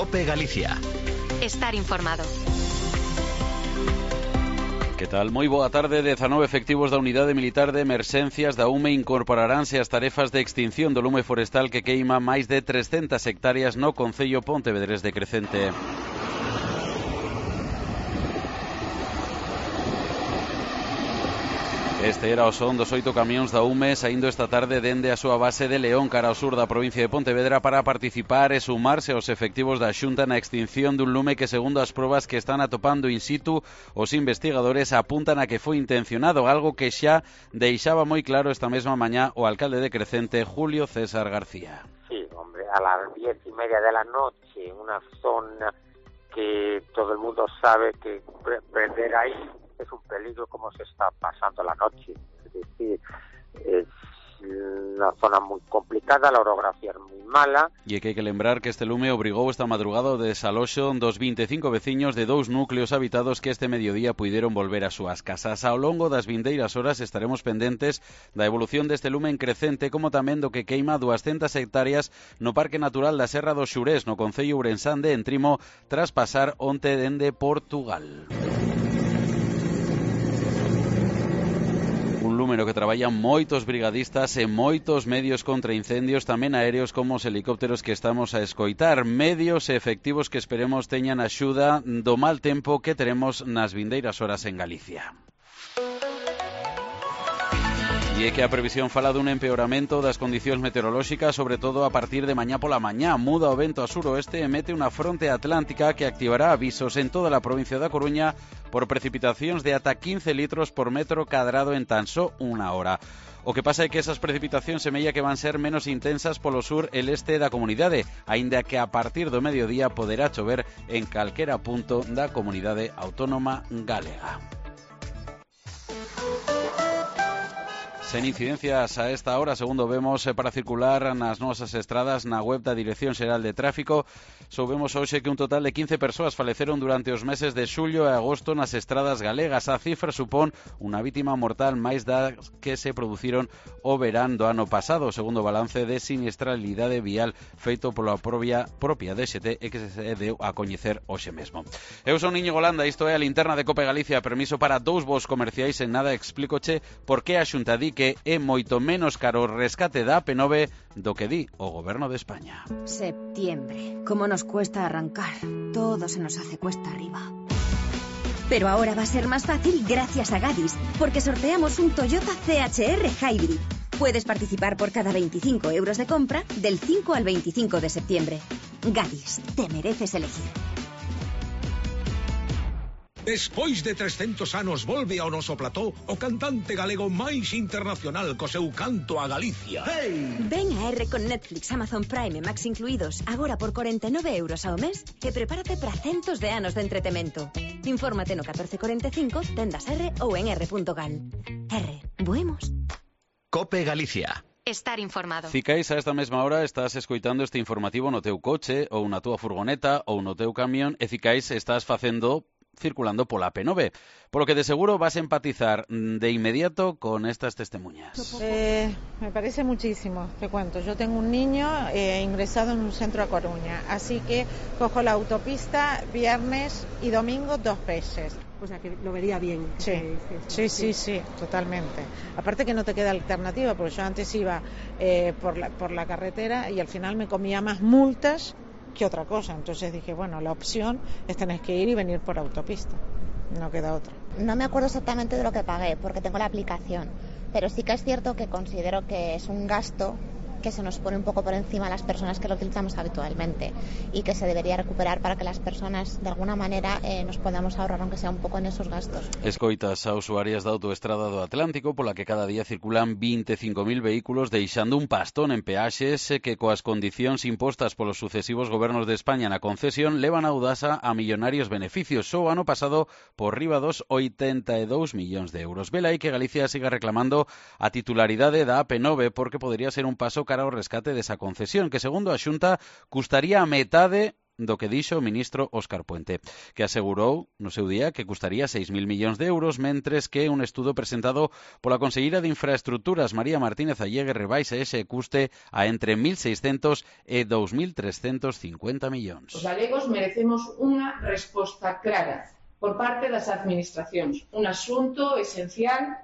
COPE Galicia. Estar informado. Que tal? Moi boa tarde. 19 efectivos da Unidade Militar de Emerxencias da UME incorporaránse ás tarefas de extinción do lume forestal que queima máis de 300 hectáreas no concello pontevedrés de Crecente. Este era o son dos 8 camións da UME saindo esta tarde dende a súa base de León cara ao sur da provincia de Pontevedra para participar e sumarse aos efectivos da Xunta na extinción dun lume que, segundo as probas que están atopando in situ, os investigadores apuntan a que foi intencionado, algo que xa deixaba moi claro esta mesma mañá o alcalde de Crecente, Julio César García. Sí, hombre, a las 10:30 de la noche, en una zona que todo el mundo sabe que perder ahí es un peligro, como se está pasando la noche. Es decir, es una zona muy complicada, la orografía es muy mala. E que hai que lembrar que este lume obrigou esta madrugada o desaloxo dos 25 veciños de 2 núcleos habitados que este mediodía puideron volver ás súas casas. Ao longo das vindeiras horas estaremos pendentes da evolución deste lume en Crecente, como tamén do que queima 200 hectáreas no Parque Natural da Serra do Xurés, no concello ourensán de Entrimo, tras pasar onte dende Portugal. Un lume no que traballan moitos brigadistas e moitos medios contra incendios, tamén aéreos como os helicópteros que estamos a escoitar, medios e efectivos que esperemos teñan axuda do mal tempo que teremos nas vindeiras horas en Galicia. E é que a previsión fala dun empeoramento das condicións meteorolóxicas, sobre todo a partir de mañá pola mañá. Muda o vento a suroeste e mete unha fronte atlántica que activará avisos en toda a provincia da Coruña por precipitacións de ata 15 litros por metro cadrado en tan só unha hora. O que pasa é que esas precipitacións semella que van ser menos intensas polo sur e leste da comunidade, aínda que a partir do mediodía poderá chover en calquera punto da comunidade autónoma galega. Sen incidencias a esta hora, segundo vemos, para circular nas nosas estradas na web da Dirección Xeral de Tráfico. Soubemos hoxe que un total de 15 persoas faleceron durante os meses de xullo e agosto nas estradas galegas. A cifra supón unha vítima mortal máis das que se produciron o verán do ano pasado, segundo o balance de siniestralidade vial feito pola propia DXT e que se deu a coñecer hoxe mesmo. Eu son Íñigo Landa, isto é a linterna de COPE Galicia. Permiso para dous voos comerciais. En nada explícoche por que a Xunta di que é moito menos caro o rescate da AP9 do que di o Goberno de España. Septiembre. ¿Cómo nos cuesta arrancar? Todo se nos hace cuesta arriba. Pero ahora va a ser más fácil gracias a Gadis, porque sorteamos un Toyota CHR Hybrid. Puedes participar por cada 25 euros de compra del 5 al 25 de septiembre. Gadis, te mereces elegir. Despois de 300 anos volve ao noso plató o cantante galego máis internacional co seu canto a Galicia. Hey! Ven a R con Netflix, Amazon Prime e Max incluídos, agora por 49 euros ao mes, e prepárate para centos de anos de entretemento. Infórmate no 1445, tendas R ou en r.gal. R, buemos. COPE Galicia. Estar informado. Cicais a esta mesma hora estás escoitando este informativo no teu coche ou na túa furgoneta ou no teu camión e cicais estás facendo circulando pola AP9, polo que de seguro vas a empatizar de inmediato con estas testemunhas. Me parece muchísimo, te cuento. Yo tengo un niño ingresado en un centro a Coruña, así que cojo la autopista viernes y domingo 2 veces. O sea, que lo vería bien. Sí, totalmente. Aparte que no te queda alternativa, porque yo antes iba por la carretera y al final me comía más multas que otra cosa. Entonces dije, bueno, la opción es tener que ir y venir por autopista. No queda otra. No me acuerdo exactamente de lo que pagué, porque tengo la aplicación. Pero sí que es cierto que considero que es un gasto que se nos pone un pouco por encima a las personas que lo utilizamos habitualmente y que se debería recuperar para que las personas de alguna manera nos podamos ahorrar aunque sea un pouco en esos gastos. Escoitas a usuarias da autoestrada do Atlántico pola que cada día circulan 25.000 vehículos deixando un pastón en peaxes que coas condicións impostas polos sucesivos gobernos de España na concesión levan a Audasa a millonarios beneficios. Só o ano pasado por riba dos 82 millóns de euros. Vela aí que Galicia siga reclamando a titularidade da AP9 porque podería ser un paso cara ao rescate desa concesión que, segundo a Xunta, custaría a metade do que dixo o ministro Óscar Puente, que asegurou no seu día que custaría 6.000 millóns de euros, mentres que un estudo presentado pola conselleira de Infraestructuras, María Martínez Allegue, rebaixa ese custe a entre 1.600 e 2.350 millóns. Os galegos merecemos unha resposta clara por parte das administracións, un asunto esencial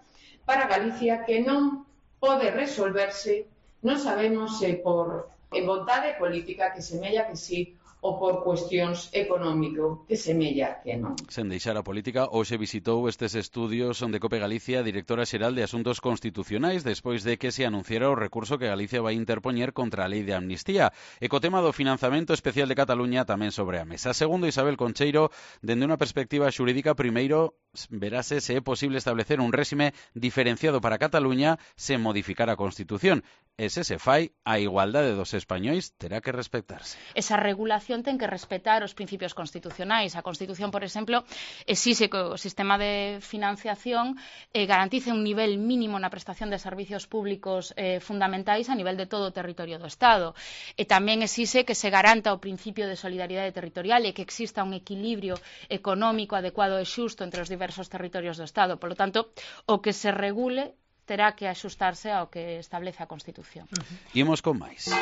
para Galicia que non pode resolverse, non sabemos se por vontade política que semella que sí, ou por cuestións económico que semella que non. Sen deixar a política, hoxe visitou estes estudios onde Cope Galicia, directora xeral de Asuntos Constitucionais, despois de que se anunciara o recurso que Galicia vai interpoñer contra a lei de amnistía. E co tema do financiamento especial de Cataluña tamén sobre a mesa. Segundo Isabel Concheiro, dende unha perspectiva xurídica, primeiro verase se é posible establecer un réxime diferenciado para Cataluña sen modificar a Constitución. E se se fai, a igualdade dos españois terá que respectarse. Esa regulación ten que respetar os principios constitucionais. A Constitución, por exemplo, exixe que o sistema de financiación garantice un nivel mínimo na prestación de servicios públicos fundamentais a nivel de todo o territorio do Estado. E tamén exixe que se garanta o principio de solidaridade territorial e que exista un equilibrio económico adecuado e xusto entre os diversos territorios do Estado. Por lo tanto, o que se regule terá que axustarse ao que establece a Constitución. Imos con máis.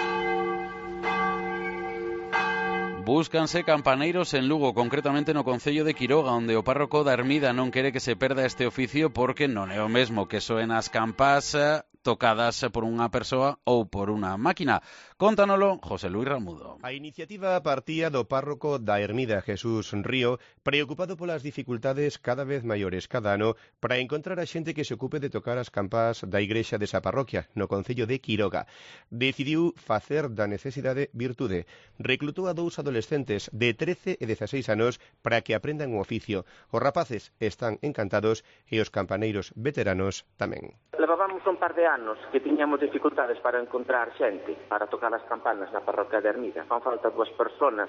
Búscanse campaneiros en Lugo, concretamente no concello de Quiroga, onde o párroco da Ermida non quere que se perda este oficio porque non é o mesmo que soen as campás tocadas por unha persoa ou por unha máquina. Contanolo José Luis Ramudo. A iniciativa partía do párroco da Ermida, Jesús Río, preocupado polas dificultades cada vez maiores cada ano para encontrar a xente que se ocupe de tocar as campás da igrexa desa parroquia, no concello de Quiroga. Decidiu facer da necesidade virtude. Reclutou a 2 adolescentes de 13 e 16 anos para que aprendan o oficio. Os rapaces están encantados e os campaneiros veteranos tamén. Levábamos un par de anos que tiñamos dificultades para encontrar xente para tocar as campanas na parroquia de Ermida. Fan falta 2 personas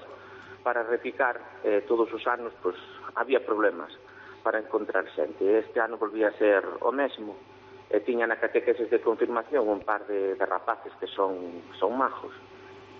para repicar, todos os anos pois había problemas para encontrar xente. Este ano volvía a ser o mesmo. Tiña na catequeses de confirmación un par de rapaces que son majos.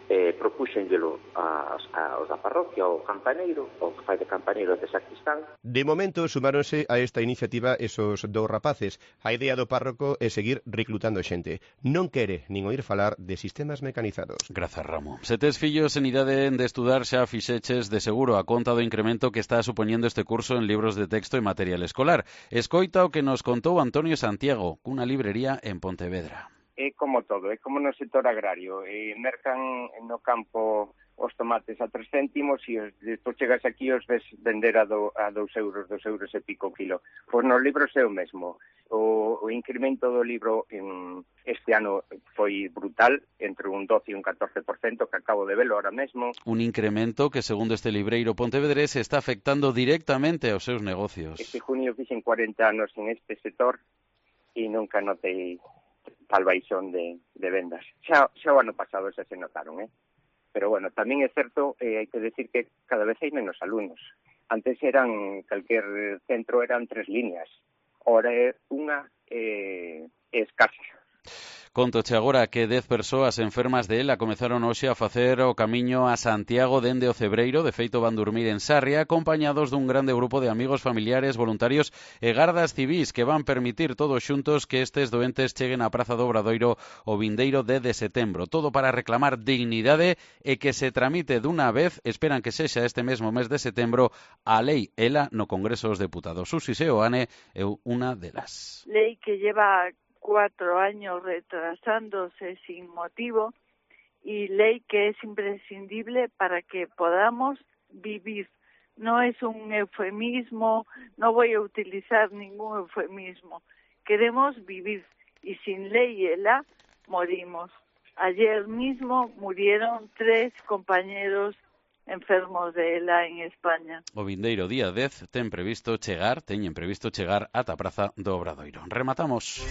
Propúxenllelo aos da parroquia, ao campaneiro, o que fai de campaneiro de sacristán. De momento sumáronse a esta iniciativa esos 2 rapaces. A idea do párroco é seguir reclutando xente. Non quere nin oír falar de sistemas mecanizados. Grazas, Ramo. Se tes fillos en idade de estudar, xa fixeches de seguro a conta do incremento que está supoñendo este curso en libros de texto e material escolar. Escoita o que nos contou Antonio Santiago, cunha librería en Pontevedra. É como todo, é como no sector agrario. Mercan no campo os tomates a 3 céntimos e despois chegas aquí os ves vender a 2 euros e pico o kilo. Pois nos libros é o mesmo. O incremento do libro este ano foi brutal, entre un 12 e un 14%, que acabo de velo ahora mesmo. Un incremento que, segundo este libreiro pontevedrés, está afectando directamente aos seus negocios. Este junio fixen 40 anos en este sector e nunca notei tal baixón de vendas. Xa o ano pasado xa se notaron, Pero bueno, tamén é certo, hai que decir que cada vez hai menos alumnos. Antes calquer centro eran 3 líneas, ahora é unha escasa. Contoche agora que 10 persoas enfermas de ELA comezaron hoxe a facer o camiño a Santiago dende o Cebreiro. De feito, van dormir en Sarria, acompañados dun grande grupo de amigos, familiares, voluntarios e gardas civís que van permitir todos xuntos que estes doentes cheguen á Praza do Obradoiro o vindeiro 10 de setembro. Todo para reclamar dignidade e que se tramite dunha vez, esperan que sexa este mesmo mes de setembro, a lei ELA no Congreso dos Deputados. Susi Seoane é unha delas. Lei que lleva 4 años retrasándose sin motivo y ley que es imprescindible para que podamos vivir. No es un eufemismo, no voy a utilizar ningún eufemismo. Queremos vivir y sin ley ELA morimos. Ayer mismo murieron 3 compañeros enfermos de ELA en España. O vindeiro día 10 teñen previsto chegar ata a Praza do Obradoiro. Rematamos.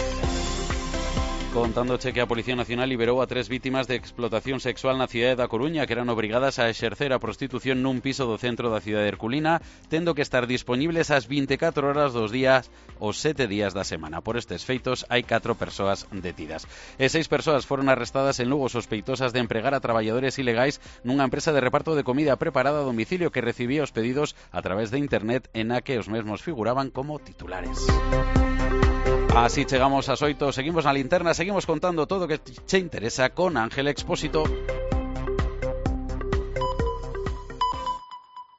Contándoche que a Policía Nacional liberou a 3 vítimas de explotación sexual na cidade da Coruña que eran obrigadas a exercer a prostitución nun piso do centro da cidade de Herculina, tendo que estar disponibles as 24 horas dos días os 7 días da semana. Por estes feitos hai 4 persoas detidas. E 6 persoas foron arrestadas en Lugo sospeitosas de empregar a traballadores ilegais nunha empresa de reparto de comida preparada a domicilio que recibía os pedidos a través de internet en a que os mesmos figuraban como titulares. Así chegamos ás 8, seguimos na linterna, seguimos contando todo o que che interesa con Ángel Expósito.